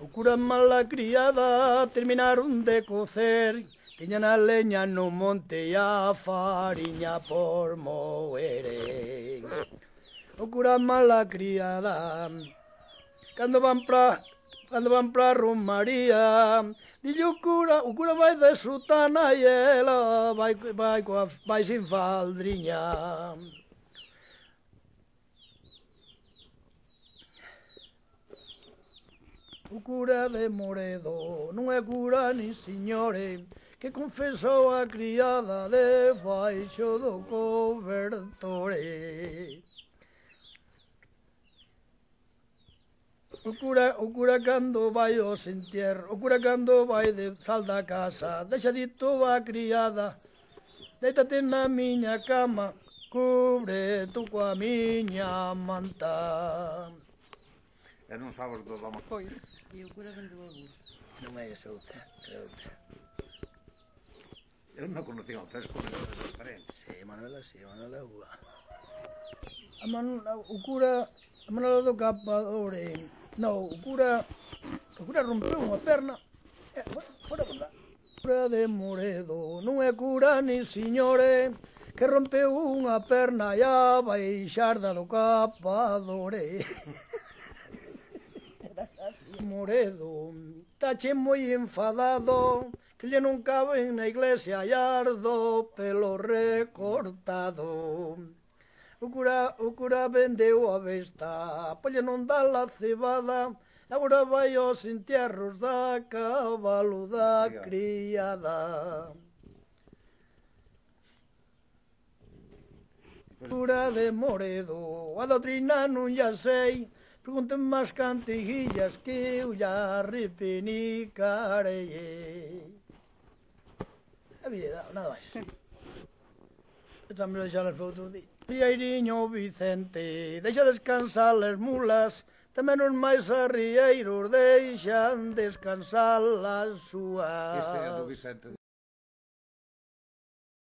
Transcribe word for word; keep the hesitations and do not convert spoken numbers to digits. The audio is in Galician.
O cura mala criada terminaron de cocer, tiñan a leña no monte e a fariña por moere. O cura mala criada, cando van pra cando van pra Romaría, dille o cura, o cura vai de sutana e ela vai vai coa vai sin faldriña. O cura de Moredo non é cura nin señores, que confesou a criada debaixo do cobertore. O cura, o cura cando vai ao entierro, o cura cando vai de sal da casa, deixa dito a criada, déitate na miña cama, cubre tu coa miña manta. E non sabes do dama. Pois. E o cura vendeu a burro. Non é esa outra, é outra. Eu non conocía o Pesco, mas é diferente. Sí, Manuela, sí, Manuela é boa. A Manuela, o cura, a Manuela do Capadore, non, o cura, o cura rompeu unha perna, e fora, fora, fora. O cura de Moredo non é cura ni señores, que rompeu unha perna e a baixarda do Capadore. Moredo, tache moi enfadado, que lle non caben na iglesia e ardo pelo recortado. O cura, o cura vendeu a besta, polle non dá la cebada, agora vai aos entierros da cabalo da criada. Cura de Moredo, a doutrina non ya sei, pregunten máis cantiguillas que eu ya repenicarei. A vida, nada máis. Eu tamén deixalas para outro día. Riairiño Vicente, deixa descansar as mulas, tamén os máis arrieiros deixan descansar as súas. Este é do Vicente